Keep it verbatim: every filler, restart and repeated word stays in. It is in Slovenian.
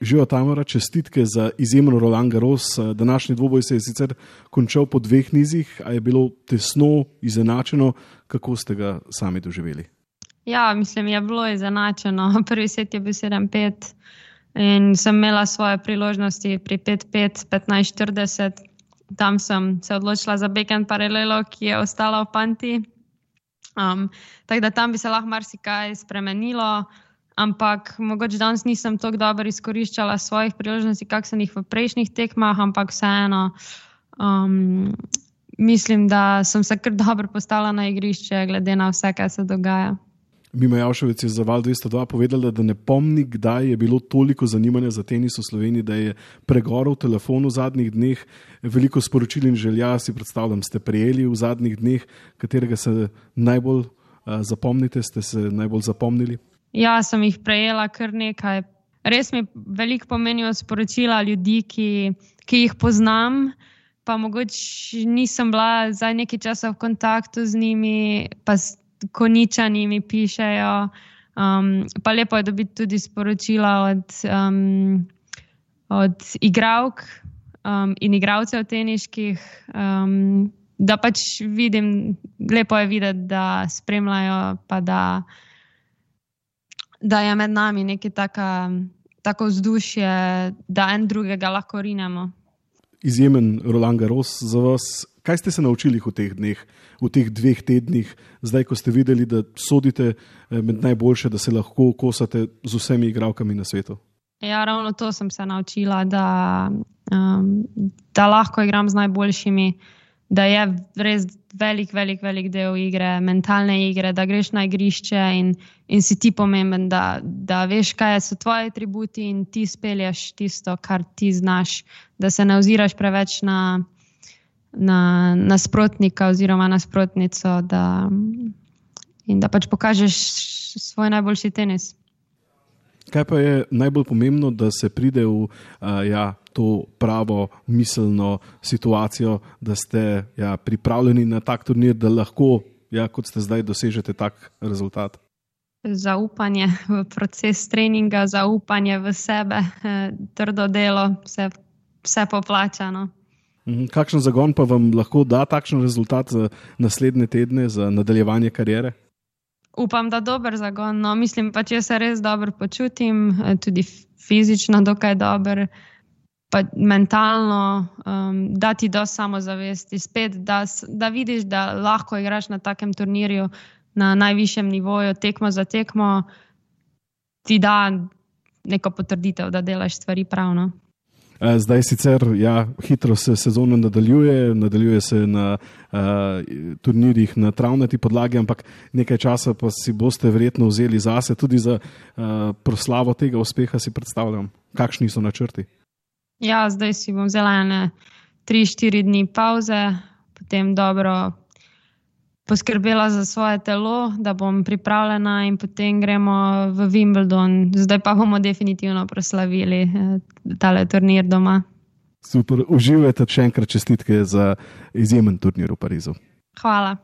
Živijo, Tamara, čestitke za izjemen Roland Garros. Današnji dvoboj se je sicer končal po dveh nizih, a je bilo tesno, izenačeno. Kako ste ga sami doživeli? Ja, mislim, je bilo izenačeno. Prvi set je bil sedem pet in sem imela svoje priložnosti pri pet pet, petnajst štirideset. Tam sem se odločila za backhand paralelo, ki je ostala v panti. Um, tako da tam bi se lahko marsikaj spremenilo. Ampak mogoče danes nisem tako dobro izkoriščala svojih priložnosti, kak sem jih v prejšnjih tekmah, ampak vseeno um, mislim, da sem se kar dobro postavila na igrišče, glede na vse, kaj se dogaja. Mima Javševec je za Val dvesto dva povedala, da ne pomni, kdaj je bilo toliko zanimanja za tenis v Sloveniji, da je pregorel telefon v zadnjih dneh. Veliko sporočil in želja, si predstavljam, ste prejeli v zadnjih dneh, katerega se najbolj uh, zapomnite, ste se najbolj zapomnili? Ja, sem jih prejela kar nekaj. Res mi veliko pomenijo sporočila ljudi, ki, ki jih poznam, pa mogoče nisem bila za nekaj časa v kontaktu z njimi, pa Koničani mi pišejo. Um, pa lepo je dobiti tudi sporočila od, um, od igralk um, in igralcev teniških, um, da pač vidim, lepo je videti, da spremljajo, pa da da je med nami nekaj taka, tako vzdušje, da en drugega lahko rinemo. Izjemen Roland Garros za vas. Kaj ste se naučili v teh dneh, v teh dveh tednih, zdaj, ko ste videli, da sodite med najboljše, da se lahko kosate z vsemi igralkami na svetu? Ja, ravno to sem se naučila, da, um, da lahko igram z najboljšimi, da je res velik, velik, velik del igre, mentalne igre, da greš na igrišče in, in si ti pomemben, da, da veš, kaj so tvoji atributi in ti spelješ tisto, kar ti znaš, da se ne oziraš preveč na, na nasprotnika oziroma nasprotnico, da, in da pač pokažeš svoj najboljši tenis. Kaj pa je najbolj pomembno, da se pride v uh, ja, to pravo miselno situacijo, da ste ja, pripravljeni na tak turnir, da lahko, ja, kot ste zdaj, dosežete tak rezultat? Zaupanje v proces treninga, zaupanje v sebe, trdo delo, vse, vse poplačano. Kakšen zagon pa vam lahko da takšen rezultat za naslednje tedne, za nadaljevanje kariere? Upam, da dober zagon. No, mislim pa, če se res dobro počutim, tudi fizično dokaj dober, pa mentalno, um, da ti do samozavesti spet, da, da vidiš, da lahko igraš na takem turnirju na najvišjem nivoju, tekmo za tekmo, ti da neko potrditev, da delaš stvari pravno. Zdaj sicer ja, hitro se sezona nadaljuje, nadaljuje se na uh, turnirjih na travnati podlagi, ampak nekaj časa pa si boste verjetno vzeli zase, tudi za uh, proslavo tega uspeha si predstavljam. Kakšni so načrti? Ja, zdaj si bom vzela ene tri štiri dni pauze, potem dobro poskrbela za svoje telo, da bom pripravljena in potem gremo v Wimbledon. Zdaj pa bomo definitivno proslavili tale turnir doma. Super, uživajte, še enkrat čestitke za izjemen turnir v Parizu. Hvala.